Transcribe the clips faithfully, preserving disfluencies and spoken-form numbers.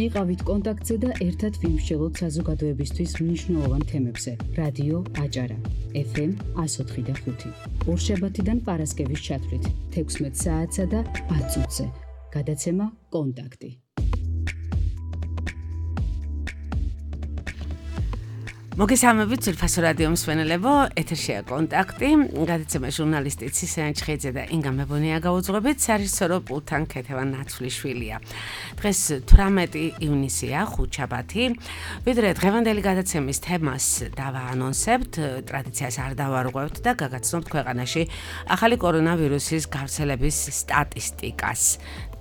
იყავით კონტაქტზე და ერთად ვიმსჯელოთ საზოგადოებისთვის მნიშვნელოვან თემებზე. რადიო აჭარა, ეფ ემ εκατო ოთხი და ხუთი. ორშაბათიდან პარასკევის ჩათვლით, თექვსმეტ საათსა და ათ წუთზე. გადაცემა კონტაქტი. მოგესალმებით ძვირფასო რადიო მსმენელებო, ეთერშია კონტაქტი, გადაცემა ჟურნალისტი ცისერენ ჩხეიძე და ინგა მებონია გაუძღვებით, საერთაშორისო პულთან ქეთევან ნაცვლიშვილია. დღეს თვრამეტი ივნისია, ხუთშაბათი. ვიდრე დღევანდელი გადაცემის თემას დავაანონსებთ, ტრადიციას არ დავარღვევთ და გაგაცნობთ ქვეყანაში ახალი კორონავირუსის გავრცელების სტატისტიკას.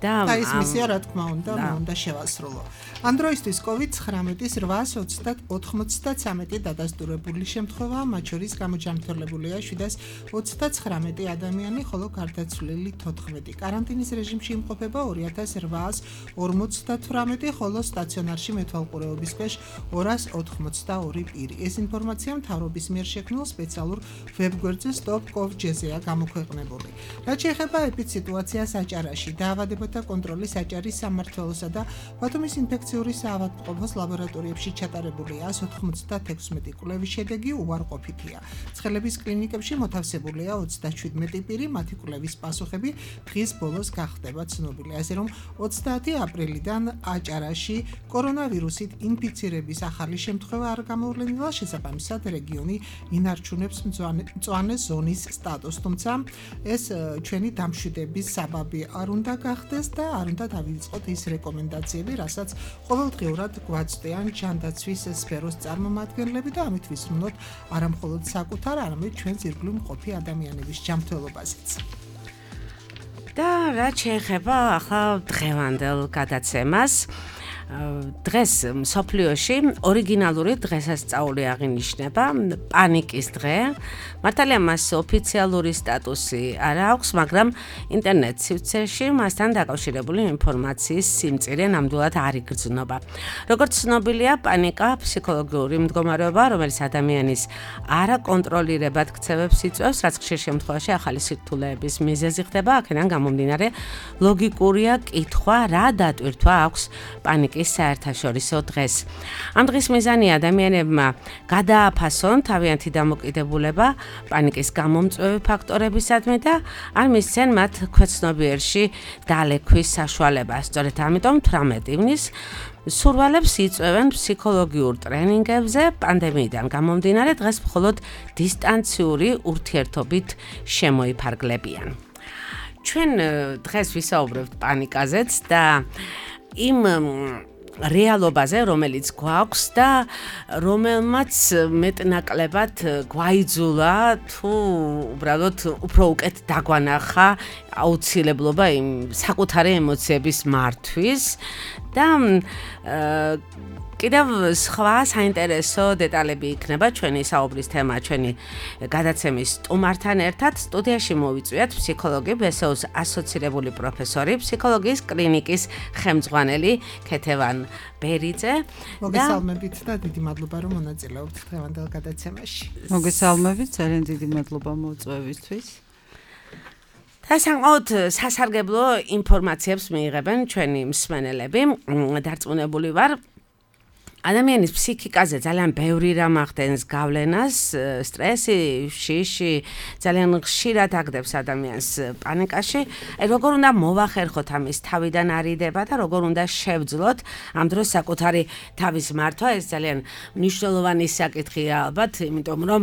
და ის მისია რა თქმა უნდა, უნდა შევასრულო. ამ დროისთვის კოვიდ ცხრამეტის ოთხსას ოცდათვრამეტი დადასტურებული შემთხვევაა, მათ შორის გამოჯანმრთელებულია შვიდას ოცდაცხრამეტი ადამიანი, ხოლო გარდაცვლილი თოთხმეტი. კარანტინის რეჟიმში იმყოფება ორი ათას რვაას ორმოცდათვრამეტი, ხოლო სტაციონარში მეთვალყურეობის ქვეშ ორას ოთხმოცდაორი პირი. ეს ინფორმაცია მთავრობის მიერ შექმნილ სპეციალურ ვებგვერდზე stop covid jezea გამოქვეყნებული. რაც შეეხება ეპიდსიტუაციას აჭარაში, დაავადებათა კონტროლის აჭარის სამმართველოსა და ბათუმის ინფექციური საავადმყოფოს ლაბორატორიებში ჩატარებული ას ოთხმოცდათექვსმეტი კვლევის შედეგი უარყოფითია. ცხელების კლინიკებში მოთავსებულია ოცდაშვიდმეტი პირი, მათი კვლევის პასუხები დღის ბოლოს გახდება ცნობილი. ასე რომ ოცდაათი აპრილიდან აჭარაში კორონავირუსით ინფიცირების ახალი შემთხვევა არ გამოვლენილა, შესაბამისად რეგიონი ინარჩუნებს მწვანე ზონის სტატუსს, თუმცა ეს ჩვენი დამშვიდების საბაბი არ უნდა გახდეს და არ უნდა დავიწყოთ ის რეკომენდაციები, რასაც ყოველდღიურად გვაწვდიან ჯანდაცვის სფეროს წარმომადგენლები და ამით ვისმენთ არა მხოლოდ საკუთარ, არამედ ჩვენს ირგვლივ მყოფი ადამიანების ჯანმრთელობაზეც. და რაც შეეხება ახლა დღევანდელ გადაცემას, დღეს მსოფლიოში ორიგინალური დღესასწაული აღინიშნება, პანიკის დღე. მართალია მას ოფიციალური სტატუსი არ აქვს, მაგრამ ინტერნეტ სივრცეში მასთან დაკავშირებული ინფორმაციის სიმწირე ნამდვილად არ იგრძნობა. როგორც ცნობილია, პანიკა ფსიქოლოგიური მდგომარეობა, რომელიც ადამიანის არაკონტროლირებად ქცევებს იწვევს, რაც ხშირ შემთხვევაში ახალი სირთულეების მიზეზი ხდება. აქედან გამომდინარე, ლოგიკურია კითხვა, რა დატვირთვა აქვს პანიკის საერთაშორისო დღეს. ამ დღის მიზანია ადამიანებმა გადააფასონ თავიანთი დამოკიდებულება პანიკის გამომწვევი ფაქტორებისადმი და არ მისცენ მათ ქვეცნობიერში დალექვის საშუალება. სწორედ ამიტომ თვრამეტი ივნისს სურვალებს იწვევენ ფსიქოლოგიურ ტრენინგებზე, პანდემიიდან გამომდინარე დღეს მხოლოდ დისტანციური ურთიერთობით შემოიფარგლებიან. ჩვენ დღეს ვისაუბრებთ პანიკაზეც და იმ რეალობაზე, რომელიც გვაქვს და რომელმაც მეტნაკლებად გვაიძულა თუ უბრალოდ უფრო უკეთ დაგვანახა აუცილებლობა იმ საკუთარი ემოციების მართვის და კიდევ სხვა საინტერესო დეტალები იქნება ჩვენი საუბრის თემა, ჩვენი გადაცემის სტუმართან ერთად. სტუდიაში მოვიწვიათ ფსიქოლოგი, ბე ეს ოს ასოცირებული პროფესორი, ფსიქოლოგიის კლინიკის ხელმძღვანელი ქეთევან ბერიძე. მოგესალმებით და დიდი მადლობა, რომ მონაწილეობთ დღევანდელ გადაცემაში. მოგესალმებით, ძალიან დიდი მადლობა მოწვევისთვის. და საკმაოდ სასარგებლო ინფორმაციებს მიიღებენ ჩვენი მსმენელები. დარწმუნებული ვარ, ადამიანის ფსიქიკაზე ძალიან ბევრი რამ ახდენს გავლენას, სტრესი, შიში, ძალიან ხშირად აგდებს ადამიანს პანიკაში. როგორ უნდა მოვახერხოთ ამის თავიდან არიდება და როგორ უნდა შევძლოთ ამ დროს საკუთარი თავის მართვა, ეს ძალიან მნიშვნელოვანი საკითხია ალბათ, იმიტომ რომ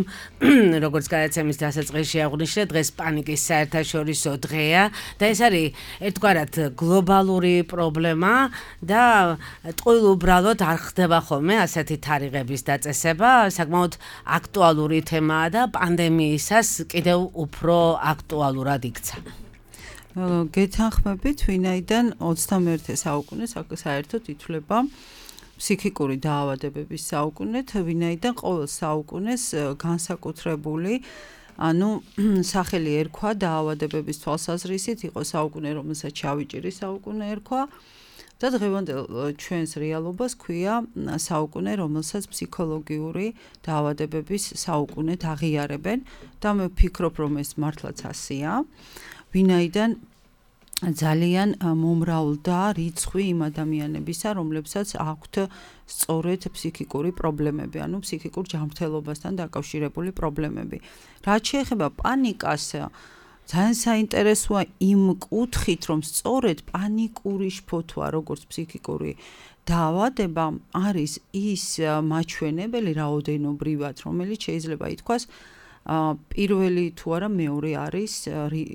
როგორც გადაცემის დასაწყისში აღვნიშნე, დღეს პანიკის საერთაშორისო დღეა და ეს არის ერთგვარად გლობალური პრობლემა და ტყუილ უბრალოდ არ ხდება ხოლმე ასეთი თარიღების დაწესება, საკმაოდ აქტუალური თემაა და პანდემიისას კიდევ უფრო აქტუალურად იქცა. გეთანხმებით, ვინაიდან ოცდამეერთე საუკუნე საერთოდ ითვლება ფსიქიკური დაავადებების საუკუნეთ, ვინაიდან ყოველ საუკუნეს განსაკუთრებული ანუ სახელი ერქვა დაავადებების თვალსაზრისით, იყო საუკუნე, რომელსაც ჩავიჭირი საუკუნე ერქვა. და დღევანდელ ჩვენს რეალობას ქვია საუკუნე, რომელსაც ფსიქოლოგიური დაავადებების საუკუნეთ აღიარებენ და მე ვფიქრობ, რომ ეს მართლაც ასეა. ვინაიდან ძალიან მომრავლ და რიცხვი იმ ადამიანებისა, რომლებსაც აქვთ სწორედ ფსიქიკური პრობლემები, ანუ ფსიქიკურ ჯანმრთელობასთან დაკავშირებული პრობლემები. რაც შეეხება პანიკას, ძალიან საინტერესოა იმ კუთხით, რომ სწორედ პანიკური შფოთვა, როგორც ფსიქიკური დაავადება, არის ის მაჩვენებელი რაოდენობრივად, რომელიც შეიძლება ითქვას პირველი თუ არა მეორე არის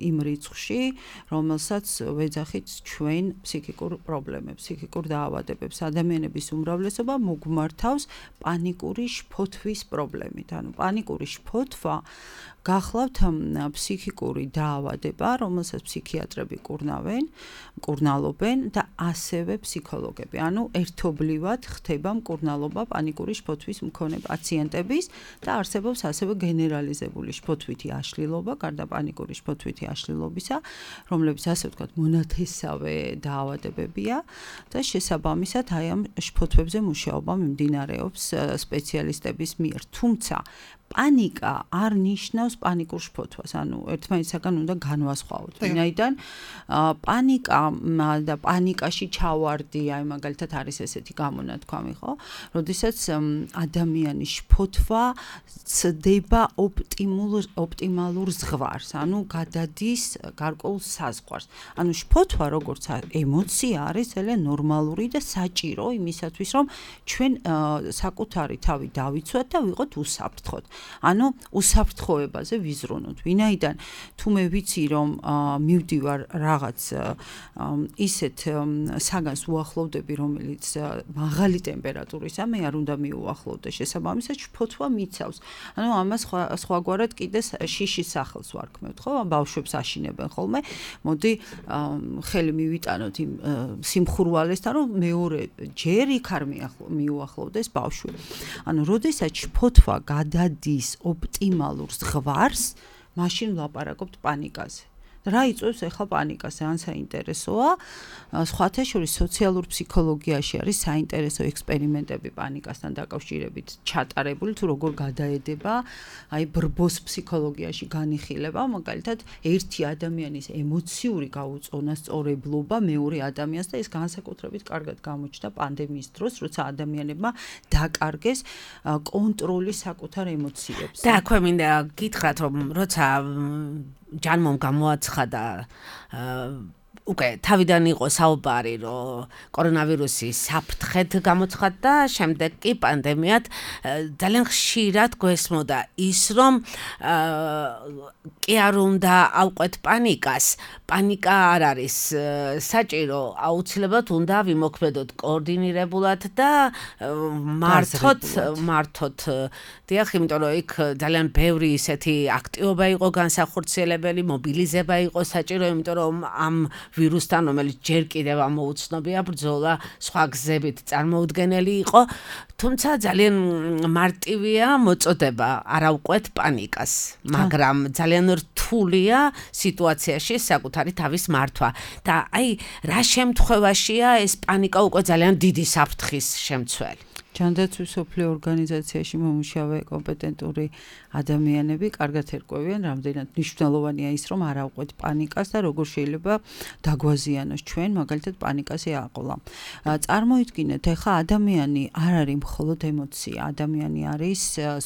იმ რიცხვში, რომელსაც ვეძახით ჩვენ ფსიქიკურ პრობლემებს, ფსიქიკურ დაავადებებს. ადამიანების უმრავლესობა მოგმართავს პანიკური შფოთვის პრობლემით. ანუ პანიკური შფოთვა გახლავთ ფსიქიკური დაავადება, რომელსაც ფსიქიატრები კურნავენ, მკურნალობენ და ასევე ფსიქოლოგები. ანუ ერთობლივად ხდება მკურნალობა პანიკური შფოთვის მქონე პაციენტების და არსებობს ასევე გენერალიზებული შფოთვითი აშლილობა, გარდა პანიკური შფოთვითი აშლილობისა, რომლებიც ასე ვთქვათ, მონათესავე დაავადებებია და შესაბამისად აი ამ შფოთვებზე მუშაობა მიმდინარეობს სპეციალისტების მიერ. თუმცა პანიკა არ ნიშნავს პანიკურ შფოთვას, ანუ ერთმანეთისაგან უნდა განვასხვაოთ. ვინაიდან პანიკა და პანიკაში ჩავარდი, აი მაგალითად არის ესეთი გამონათქვამი, ხო? როდესაც ადამიანის შფოთვა ცდება ოპტიმალურ ოპტიმალურ ზღვარს, ანუ გადადის გარკვეულ საზღვარს. ანუ შფოთვა როგორც ემოცია არის ძალიან ნორმალური და საჭირო იმისათვის, რომ ჩვენ საკუთარი თავი დავიცვათ და ვიყოთ უსაფრთხოდ. ანუ უსაფრთხოებაზე ვიზრუნოთ. ვინაიდან თუ მე ვიცი რომ მივდივარ რაღაც ისეთ საგანს უახლოვდები, რომელიც მაღალი ტემპერატურისა, მე არ უნდა მიუახლოვდე შესაბამისად შფოთვა მიცავს. ანუ ამას სხვაგვარად კიდე შიშის სახელს ვარქმევთ, ხო? ბავშვებს აშინებენ ხოლმე. მოდი ხელი მივიტანოთ იმ სიმხურვალესთან, რომ მეორე ჯერ იქ არ მიუახლოვდეს ბავშვი. ანუ როდესაც შფოთვა გადადის ოპტიმალურ ზღვარს, მაშინ ვლაპარაკობთ პანიკაზე. რა იწვევს ახლა პანიკას? ძალიან საინტერესოა. სხვათა შორის სოციალურ ფსიქოლოგიაში არის საინტერესო ექსპერიმენტები პანიკასთან დაკავშირებით ჩატარებული, თუ როგორ გადაედება აი ბრბოს ფსიქოლოგიაში განიხილება, მაგალითად ერთი ადამიანის ემოციური გაუწონასწორებლობა მეორე ადამიანს და ეს განსაკუთრებით კარგად გამოჩნდა პანდემიის დროს, როცა ადამიანებმა დაკარგეს კონტროლი საკუთარ ემოციებზე. და აქვე მინდა გითხრათ, რომ როცა ჯანმომ გამოაცხადა უკვე თავიდან იყო საუბარი, რომ კორონავირუსი საფრთხედ გამოცხადდა, შემდეგ კი პანდემიად ძალიან ხშირად გვესმოდა ის, რომ კი არ უნდა ავყვეთ პანიკას. პანიკა არ არის საჭირო, აუცილებლად უნდა ვიმოქმედოთ კოორდინირებულად და მართოთ, მართოთ. დიახ, იმიტომ რომ იქ ძალიან ბევრი ისეთი აქტივობა იყო განსახორციელებელი, მობილიზება იყო საჭირო, იმიტომ რომ ამ ვირუსთან, რომელიც ჯერ კიდევ ამოუცნობია ბრძოლა სხვა გზებით წარმოუდგენელი იყო, თუმცა ძალიან მარტივია მოწოდება არ ავყვეთ პანიკას, მაგრამ ძალიან რთულია სიტუაციაში საკუთარი თავის მართვა. და აი რა შემთხვევაშია ეს პანიკა უკვე ძალიან დიდი საფრთხის შემცველი? ჯანდაცვის მსოფლიო ორგანიზაციაში მომუშავე კომპეტენტური ადამიანები კარგად ერკვევიან, რამდენად მნიშვნელოვანია ის, რომ არ ავყვეთ პანიკას და როგორ შეიძლება დაგვაზიანოს ჩვენ, მაგალითად პანიკაზე აყოლა. წარმოიდგინეთ, ეხლა ადამიანი არ არის მხოლოდ ემოცია, ადამიანი არის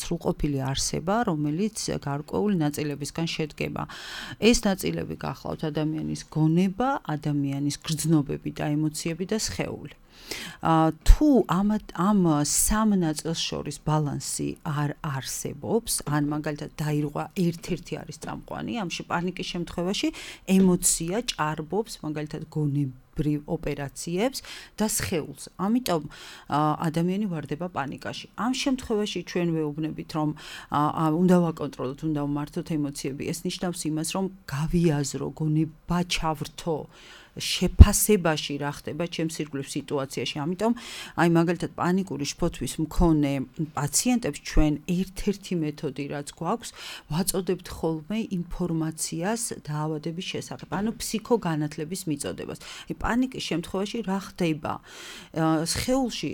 სრულყოფილი არსება, რომელიც გარკვეული ნაწილებისგან შედგება. ეს ნაწილები გახლავთ ადამიანის გონება, ადამიანის გრძნობები და ემოციები და სხეული. თუ ამ ამ სამ ნაწილს შორის ბალანსი არ არსებობს, ან მაგალითად დაირღვა ერთ-ერთი არის წამყვანი, ამში პანიკის შემთხვევაში ემოცია ჭარბობს მაგალითად გონებრივ ოპერაციებს და სხეულს. ამიტომ ადამიანი ვარდება პანიკაში. ამ შემთხვევაში ჩვენ ვეუბნებით, რომ უნდა ვაკონტროლოთ, უნდა ვმართოთ ემოციები. ეს ნიშნავს იმას, რომ გავიაზრო, გონება ჩავრთო შეფასებაში რა ხდება ჩემს ირგვლივ სიტუაციაში. ამიტომ აი მაგალითად პანიკური შფოთვის მქონე პაციენტებს ჩვენ ერთ-ერთი მეთოდი რაც გვაქვს, ვაწოდებთ ხოლმე ინფორმაციას დაავადების შესახებ, ანუ ფსიქოგანათლების მიწოდებას. პანიკის შემთხვევაში რა ხდება? სხეულში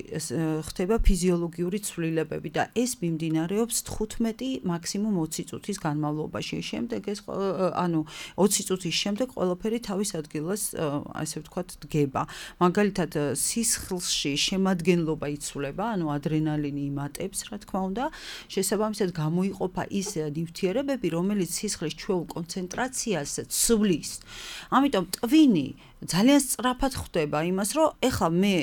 ხდება ფიზიოლოგიური ცვლილებები და ეს მიმდინარეობს თხუთმეტი მაქსიმუმ ოცი წუთის განმავლობაში. შემდეგ ეს ანუ ოცი წუთის შემდეგ ყველაფერი თავის ადგილას ასე ვთქვათ დგება. მაგალითად სისხლში შემადგენლობა იცვლება, ანუ ადრენალინი იმატებს, რა თქმა უნდა, შესაბამისად გამოიყოფა ის ნივთიერებები, რომელიც სისხლის ჩვეულ კონცენტრაციას ცვლის. ამიტომ ტვინი ძალიან სწრაფად ხვდება იმას, რომ ეხლა მე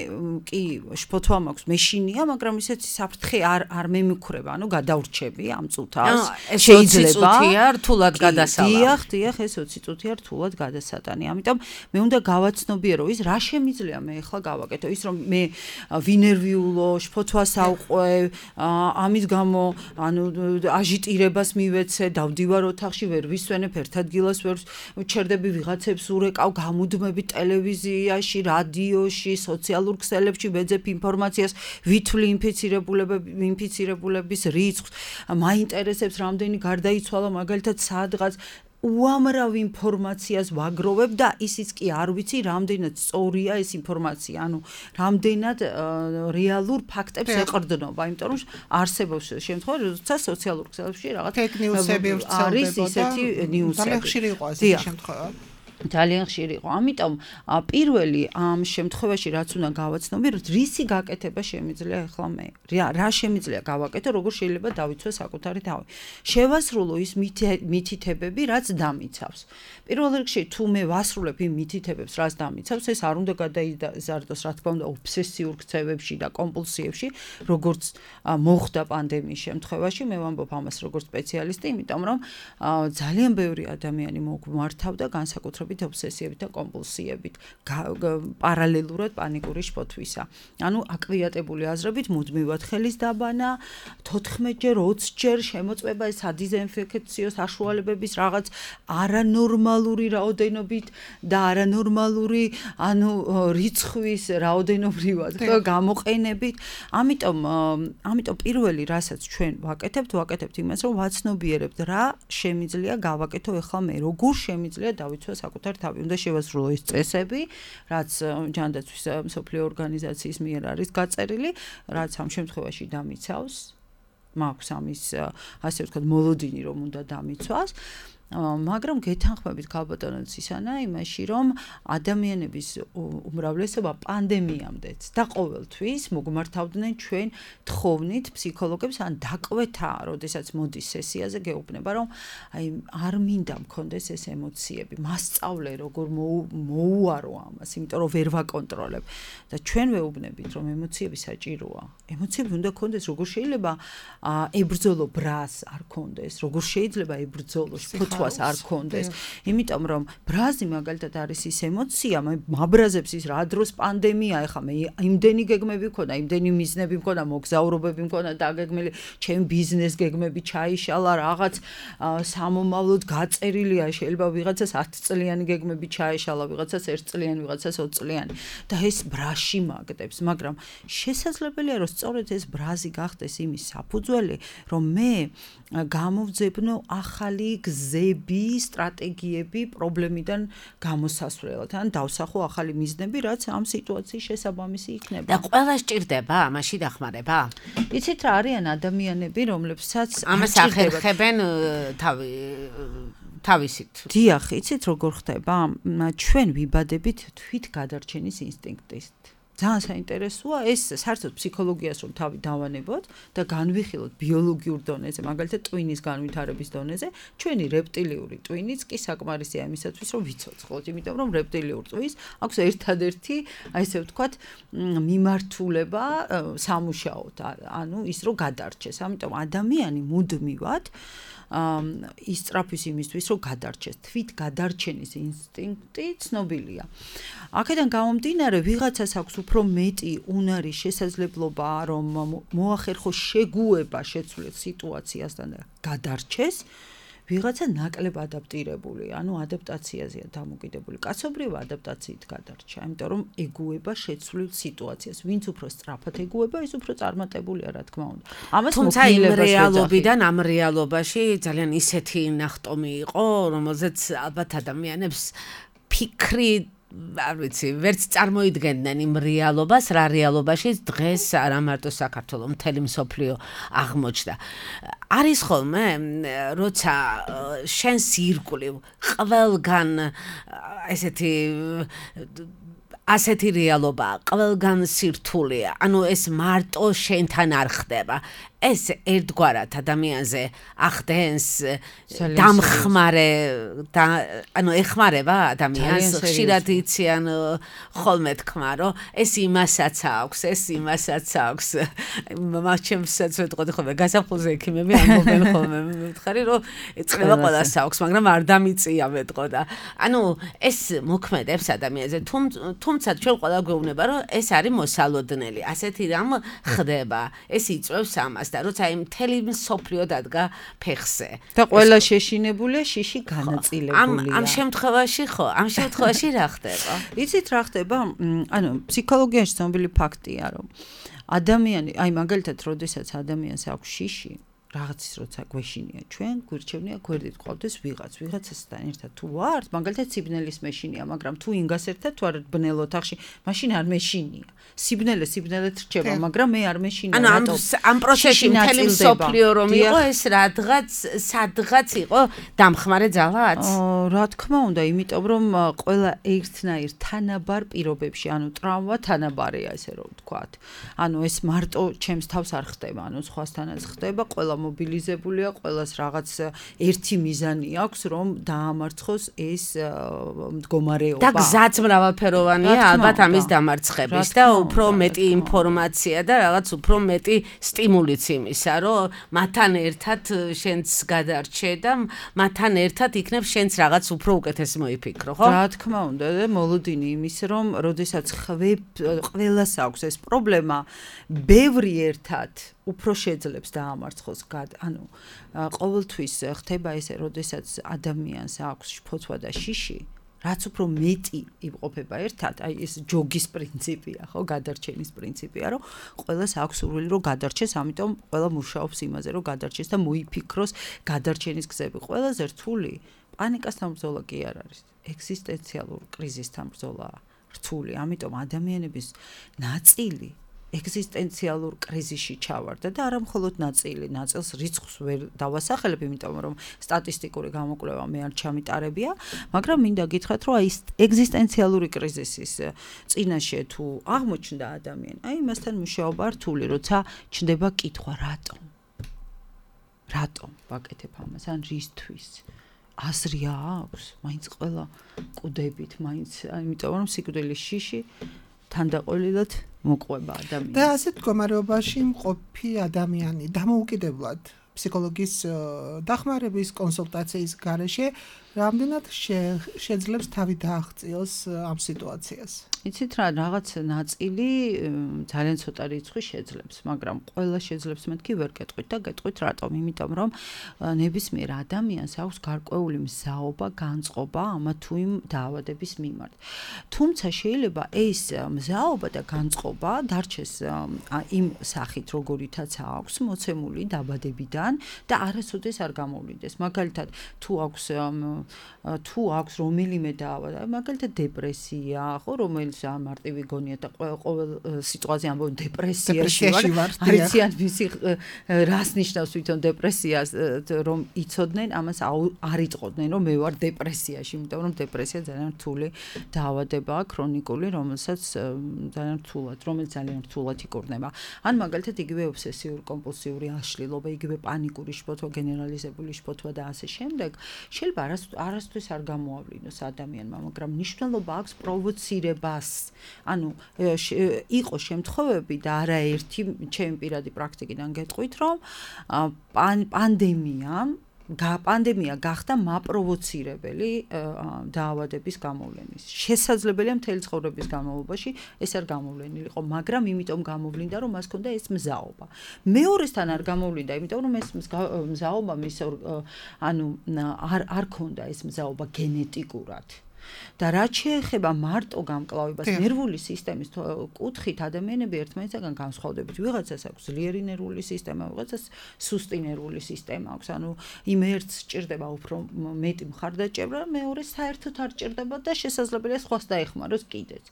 კი შფოთვა მაქვს, მეშინია, მაგრამ ისეთი საფრთხე არ არ მემუქრება, ანუ გადავრჩები ამ წუთას. შეიძლება რთულად გადასალა. დიახ, დიახ, ეს ოცი წუთია რთულად გადასატანი. ამიტომ მე უნდა გავაცნობიერო ის რა შემიძლია მე ეხლა გავაკეთო, ის რომ მე ვინერვიულო, შფოთვას ავყვე, ამის გამო ანუ აჟიტირებას მივეცე, დავდივარ ოთახში, ვერ ვისვენებ, ერთ ადგილას ვერ ვჩერდები, ვიღაცებს ურეკავ, გამუდმებით ტელევიზიაში, რადიოში, სოციალურ ქსელებში ვეძებ ინფორმაციას, ვითვლი ინფიცირებულების ინფიცირებულების რიცხვს, მაინტერესებს რამდენი გარდაიცვალა მაგალითად სადღაც უამრავ ინფორმაციას ვაგროვებ და ისიც კი არ ვიცი რამდენად სწორია ეს ინფორმაცია, ანუ რამდენად რეალურ ფაქტებს ეყრდნობა, იმიტომ რომ არსებობს შემთხვევა, როდესაც სოციალურ ქსელებში რაღაც ფეიქ ნიუსები არის ისეთი ნიუსები. ძალიან ხშირი იყო ასეთი შემთხვევა. ძალიან ხშირი იყო. ამიტომ პირველი ამ შემთხვევაში რაც უნდა გავაცნობიეროთ, რისი გაკეთება შემიძლია ახლა მე. რა შემიძლია გავაკეთო, როგორ შეიძლება დავიცვე საკუთარი თავი. შევასრულო ის მითითებები, რაც დამიცავს. პირველ რიგში თუ მე ვასრულებ იმ მითითებებს, რაც დამიცავს, ეს არ უნდა გადაიზარდოს, რა თქმა უნდა, ობსესიურ ქცევებში და კომპულსიებში, როგორც მოხდა პანდემიის შემთხვევაში. მე ვამბობ ამას როგორც სპეციალისტი, იმიტომ რომ ძალიან ბევრი ადამიანი მოგმართავდა განსაკუთრებით ობსესიებით და კომპულსიებით პარალელურად პანიკური შფოთვისა. ანუ აკვიატებული აზრებით მუდმივად ხელის დაბანა, თოთხმეტჯერ, ოცჯერ შემოწმება ეს სადიზინფექციო საშუალებების რაღაც არანორმალური რაოდენობით და არანორმალური ანუ რიცხვის რაოდენობრივად გამოყენებით. ამიტომ ამიტომ პირველი რასაც ჩვენ ვაკეთებთ, ვაკეთებთ იმას, რომ ვაცნობიერებთ რა შემიძლია გავაკეთო ახლა მე, როგორ შემიძლია დავიცვე საკუთარ თავი. უნდა შევასრულო ის წესები, რაც ჯანდაცვის მსოფლიო ორგანიზაციის მიერ არის გაწერილი, რაც ამ შემთხვევაში დამიცავს. მაქვს ამის ასე ვთქვათ მოლოდინი რომ უნდა დამიცვას. მაგრამ გეთანხმებით ქალბატონო ცისანა იმაში, რომ ადამიანების უმრავლესობა პანდემიამდეც და ყოველთვის მოგმართავდნენ ჩვენ თხოვნით ფსიქოლოგებს ან დაკვეთა, როდესაც მოდის სესიაზე გეუბნება, რომ აი არ მინდა მქონდეს ეს ემოციები, მასწავლე როგორ მოუარო ამას, იმიტომ რომ ვერ ვაკონტროლებ და ჩვენ ვეუბნებით, რომ ემოციები საჭიროა. ემოციები უნდა ქონდეს, როგორ შეიძლება ებრძოლო ბრას არ ქონდეს, როგორ შეიძლება ებრძოლო შფოთვას არ ქონდეს. იმიტომ რომ ბრაზი მაგალითად არის ის ემოცია, მე მაბრაზებს ის რა დროს პანდემია, ეხლა მე იმდენი გეგმები მქონდა, იმდენი მიზნები მქონდა, მოგზაურობები მქონდა, დაგეგმილი, ჩემ ბიზნეს გეგმები ჩაიშალა, რაღაც სამომავლოდ გაწერილია, შეიძლება ვიღაცას ათი წლიანი გეგმები ჩაიშალა, ვიღაცას ერთ წლიანი, ვიღაცას ოცი წლიანი და ეს ბრაში მაგდებს, მაგრამ შესაძლებელია რომ სწორედ ეს ბრაზი გახდეს იმის საფუძველი, რომ მე გამოვძებნო ახალი გზები, სტრატეგიები პრობლემიდან გამოსასვლელად, ან დავსახო ახალი მიზნები, რაც ამ სიტუაციის შესაბამისი იქნება. და ყველა სჭირდება ამაში დახმარება? იცით რა არიან ადამიანები, რომლებსაც ამას ახერხებენ თავი თავისით. დიახ, იცით როგორ ხდება? ჩვენ ვიბადებით თვით გადარჩენის ინსტინქტით. ძალიან საინტერესოა ეს საერთოდ ფსიქოლოგიას რომ თავი დავანებოთ და განვიხილოთ ბიოლოგიურ დონეზე, მაგალითად ტვინის განვითარების დონეზე, ჩვენი რეპტილიური ტვინიც კი საკმარისია იმისათვის, რომ ვიცოცხლოთ, იმიტომ რომ რეპტილიურ ტვინს აქვს ერთადერთი, აი ესე ვთქვათ, მიმართულება სამუშაოდ, ანუ ის რომ გადარჩეს. ამიტომ ადამიანი მუდმივად ისწრაფვის იმისთვის, რომ გადარჩეს. თვით გადარჩენის ინსტინქტი ცნობილია. აქედან გამომდინარე, ვიღაცას აქვს უფრო მეტი უნარი შესაძლებლობა, რომ მოახერხოს შეგუება შეცვლილ სიტუაციასთან და გადარჩეს. ვიღაცა ნაკლებ ადაპტირებული, ანუ ადაპტაციაზეა დამოკიდებული. კაცობრიობა ადაპტაციით გადარჩა, იმიტომ რომ ეგუება შეცვლილ სიტუაციას. ვინც უფრო სწრაფად ეგუება, ის უფრო წარმატებულია, რა თქმა უნდა. ამას თუმცა იმ რეალობიდან ამ რეალობაში ძალიან ისეთი ნახტომი იყო, რომელზეც ალბათ ადამიანებს ფიქრი არ ვიცი, ვერც წარმოიდგენდნენ იმ რეალობას, რა რეალობაში დღეს არა მარტო საქართველოს, მთელი მსოფლიო აღმოჩნდა. არის ხოლმე, როცა შენს ირგვლივ ყველგან ესეთი ასეთი რეალობა, ყველგან სირთულეა. ანუ ეს მარტო შენთან არ ხდება. ეს ერთგვარად ადამიანზე ახდენს დამხმარე და ანუ ეხმარება ადამიანს ხშირად იციან ხოლმე თქმა რომ ეს იმასაც აქვს ეს იმასაც აქვს მაჩემსაც ვეთყოდი ხოლმე გასაფხულზე ექიმები ამბობენ ხოლმე მითხარი რომ ეწება ყველას აქვს მაგრამ არ დამიწია ვეთყოდა ანუ ეს მოქმედებს ადამიანზე თუმცა ჩვენ ყველა გვეუბნება რომ ეს არის მოსალოდნელი ასეთი რამ ხდება ეს იწვევს ამას და როცა იმ მთელი მსოფლიო დადგა ფეხზე და ყველა შეშინებულია შიში განაწილებულია ამ შემთხვევაში ხო ამ შემთხვევაში რა ხდება იცით რა ხდება ანუ ფსიქოლოგიაში ცნობილი ფაქტია რომ ადამიანი აი მაგალითად როდესაც ადამიანს აქვს შიში რაღაცის როცა გვეშინია ჩვენ გვირჩევნია გვერდით ყავდეს ვიღაც ვიღაცასთან ერთად თუ ვართ მაგალითად სიბნელის მეშინია მაგრამ თუ ინგას ერთად თუ არ ბნელ ოთახში მაშინ არ მეშინია სიბნელე სიბნელეთ რჩება მაგრამ მე არ მეშინია ანუ ამ ამ პროცესში მთელი მსოფლიო რომ იყო ეს რადგაც სადღაც იყო დამხმარე ძალაც რა თქმა უნდა იმიტომ რომ ყველა ერთნაირ თანაბარ პირობებში ანუ ტრავმა თანაბარია ესე რომ ვთქვათ ანუ ეს მარტო ჩემს თავს არ ხდება ანუ სხვასთანაც ხდება ყველა მობილიზებულია, ყველას რაღაც ერთი მიზანი აქვს, რომ დაამარცხოს ეს მდგომარეობა. და გზაც მრავალფეროვანია, ალბათ ამის დამარცხების და უფრო მეტი ინფორმაცია და რაღაც უფრო მეტი სტიმულიც იმისა, რომ მათთან ერთად შენც გადარჩე და მათთან ერთად იქნებ შენც რაღაც უფრო უკეთეს მოიფიქრო, ხო? რა თქმა უნდა, და მოლოდინი იმის, რომ როდესაც ყველას აქვს ეს პრობლემა, ბევრი ერთად უფრო შეძლებს დაამარცხოს ანუ ყოველთვის ხდება ესე როდესაც ადამიანს აქვს ფოცვა და შიში რაც უფრო მეტი იმყოფება ერთად აი ეს ჯოგის პრინციპია ხო გადარჩენის პრინციპია რომ ყველას აქვს სურვილი რომ გადარჩეს ამიტომ ყველა მუშაობს იმაზე რომ გადარჩეს და მოიფიქროს გადარჩენის გზები ყველაზე რთული პანიკასთან ბრძოლა კი არ არის ეგზისტენციალურ კრიზისთან ბრძოლაა რთული ამიტომ ადამიანების ნაწილი ეგზისტენციალურ კრიზისში ჩავარდა და არა მხოლოდ ნაწილი, ნაწილს რიცხვს ვერ დავასახელებ, იმიტომ რომ სტატისტიკური გამოკვლევა მე არ ჩამიტარებია, მაგრამ მინდა გითხრათ, რომ აი ეგზისტენციალური კრიზისის წინაშე თუ აღმოჩნდა ადამიანი, აი მასთან მუშაობა რთული, როცა ჩნდება კითხვა, რატომ? რატომ ვაკეთებ ამას? ან რისთვის? აზრი აქვს? მაინც ყველა კუდებით, მაინც, იმიტომ რომ სიკვდილის შიში თანდაყოლილად მოყვება ადამიანი. და ასეთ მდგომარეობაში მყოფი ადამიანი დამოუკიდებლად ფსიქოლოგის დახმარების კონსულტაციის გარეშე რამდენად შეძლებს თავი დააღწიოს ამ სიტუაციას. იცით რა, რაღაც ნაწილი ძალიან ცოტა რიცხვი შეძლებს, მაგრამ ყველა შეძლებს მეთქი ვერ გეტყვით და გეტყვით რატომ? იმიტომ რომ ნებისმიერ ადამიანს აქვს გარკვეული მზაობა, განწყობა ამა თუ იმ დაავადების მიმართ. თუმცა შეიძლება ეს მზაობა და განწყობა დარჩეს იმ სახით, როგორითაც აქვს მოცემული დაბადებიდან და არასოდეს არ გამოვლიდეს. მაგალითად, თუ აქვს თუ აქვს რომელიმე დაავადება, მაგალითად დეპრესია, ხო, რომელიც მარტივი გონია და ყოველ სიტუაციაში ამბობენ დეპრესიაში ვარ. არიციან მისი რას ნიშნავს თვითონ დეპრესიას, რომ იცოდნენ, ამას არ იტყოდნენ, რომ მე ვარ დეპრესიაში, იმიტომ რომ დეპრესია ძალიან რთული დაავადებაა, ქრონიკული, რომელსაც ძალიან რთულად, რომელიც ძალიან რთულად იკურნება. ან მაგალითად იგივე ობსესიური კომპულსიური აშლილობა, იგივე პანიკური შფოთვა, გენერალიზებული შფოთვა და ასე შემდეგ, შეიძლება არასდროს არ გამოავლინოს ადამიანმა, მაგრამ მნიშვნელობა აქვს პროვოცირებას. ანუ იყო შემთხვევები და არაერთი ჩემი პირადი პრაქტიკიდან გეტყვით, რომ პანდემიამ პანდემია გახდა მაპროვოცირებელი დაავადების გამოვლენის. შესაძლებელია მთელი ცხოვრების განმავლობაში ეს არ გამოვლენილიყო, მაგრამ იმიტომ გამოვლინდა, რომ მას ჰქონდა ეს მზაობა. მეორესთან არ გამოვლინდა, იმიტომ რომ ეს მზაობა მის ანუ არ არ ჰქონდა ეს მზაობა გენეტიკურად. და რაც შეეხება მარტო გამკლავებას ნერვული სისტემის კუთხით ადამიანები ერთმანეთისგან განსხვავდებით. ვიღაცას აქვს ძლიერი ნერვული სისტემა, ვიღაცას სუსტი ნერვული სისტემა აქვს. ანუ იმ ერთს სჭირდება უფრო მეტი მხარდაჭერა, მეორე საერთოდ არ სჭირდება და შესაძლებელია სხვას დაეხმაროს კიდეც.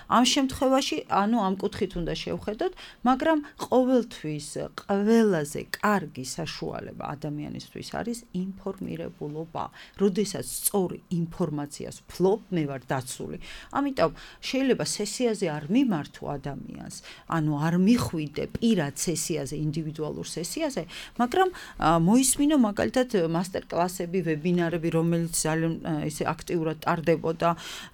ამ შემთხვევაში, ანუ ამ კუთხით უნდა შევხედოთ, მაგრამ ყოველთვის ყველაზე კარგი საშუალება ადამიანისთვის არის ინფორმირებულობა. როდესაც სწორი ინფორმაციას მე ვარ დაცული. ამიტომ შეიძლება სესიაზე არ მიმართო ადამიანს, ანუ არ მიხვიდე პირად სესიაზე, ინდივიდუალურ სესიაზე, მაგრამ მოისმინო მაგალითად მასტერკლასები, ვებინარები, რომელიც ძალიან ისე აქტიურად ტარდებოდა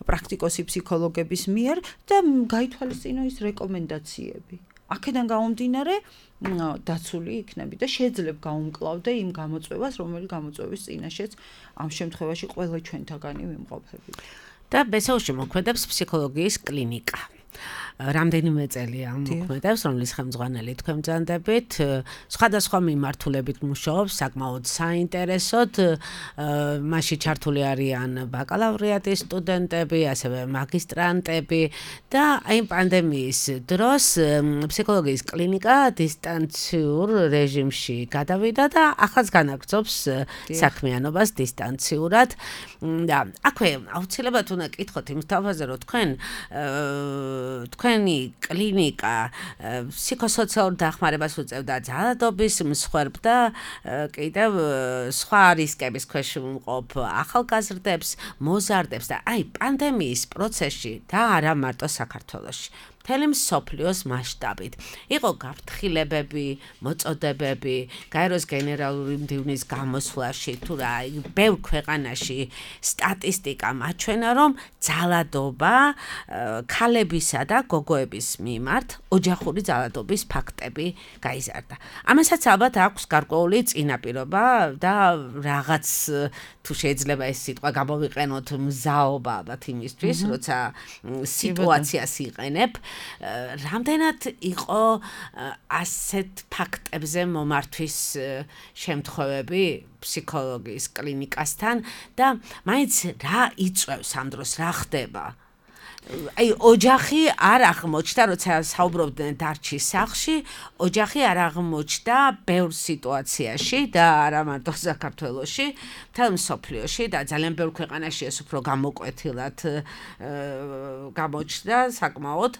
პრაქტიკოსი ფსიქოლოგების მიერ და გაითვალისწინო ის რეკომენდაციები. აქედან გამომდინარე დაცული იქნები და შეძლებ გაუმკლავდე იმ გამოწვევას, რომელიც გამოწვევის წინაშეც ამ შემთხვევაში ყველა ჩვენთაგანი ვიმყოფებით. და ბესაუში მოქმედებს ფსიქოლოგიის კლინიკა. რამდენიმე წელია მოქმედებს, რომლის ხელმძღვანელი თქვენ ბრძანდებით, სხვადასხვა მიმართულებით მუშაობს, საკმაოდ საინტერესოდ, მასში ჩართული არიან ბაკალავრიატის სტუდენტები, ასევე მაგისტრანტები და აი პანდემიის დროს ფსიქოლოგიის კლინიკა დისტანციურ რეჟიმში გადავიდა და ახალს განაგრძობს საქმიანობას დისტანციურად და აქვე აუცილებლად უნდა კითხოთ იმ თავაზე, რომ თქვენ თქვენი კლინიკა ფსიქოსოციალურ დახმარებას უწევდა ძალადობის მსხვერპლ და კიდევ სხვა რისკების ქვეშ მყოფ ახალგაზრდებს, მოზარდებს და აი პანდემიის პროცესში და არა მარტო საქართველოში. მთელი მსოფლიოს მასშტაბით. იყო გაფრთხილებები, მოწოდებები, გაეროს გენერალური მდივნის გამოსვლაში, თუ რა, ბევრ ქვეყანაში სტატისტიკა მაჩვენა, რომ ძალადობა ქალებისა და გოგოების მიმართ ოჯახური ძალადობის ფაქტები გაიზარდა. ამასაც ალბათ აქვს გარკვეული წინაპირობა და რაღაც თუ შეიძლება ეს სიტყვა გამოვიყენოთ მზაობა ალბათ იმისთვის, როცა სიტუაციას იყენებ. რამდენად იყო ასეთ ფაქტებზე მომართვის შემთხვევები ფსიქოლოგიის კლინიკასთან და მაინც რა იწვევს ამ დროს, რა ხდება? აი ოჯახი არ აღმოჩნდა, როცა საუბრობდნენ დარჩის სახლში, ოჯახი არ აღმოჩნდა ბევრ სიტუაციაში და არა მარტო საქართველოში, მთელ მსოფლიოში და ძალიან ბევრ ქვეყანაში ეს უფრო გამოკვეთილად გამოჩნდა საკმაოდ,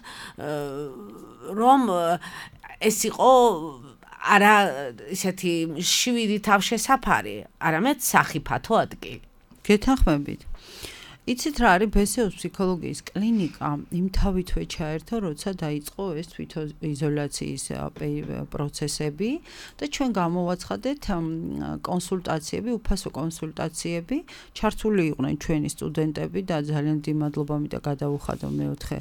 რომ ეს იყო არა ისეთი შვიდი თავშესაფარი, არამედ სახიფათო ადგილი. გეთანხმებით. იცით რა არის ბესეუს ფსიქოლოგიის კლინიკა, იმ თავითვე ჩაერთო, როცა დაიწყო ეს თვითიზოლაციის პროცესები და ჩვენ გამოვაცხადეთ კონსულტაციები, უფასო კონსულტაციები, ჩართული იყვნენ ჩვენი სტუდენტები და ძალიან დიდი მადლობა მინდა გადავუხადო მეოთხე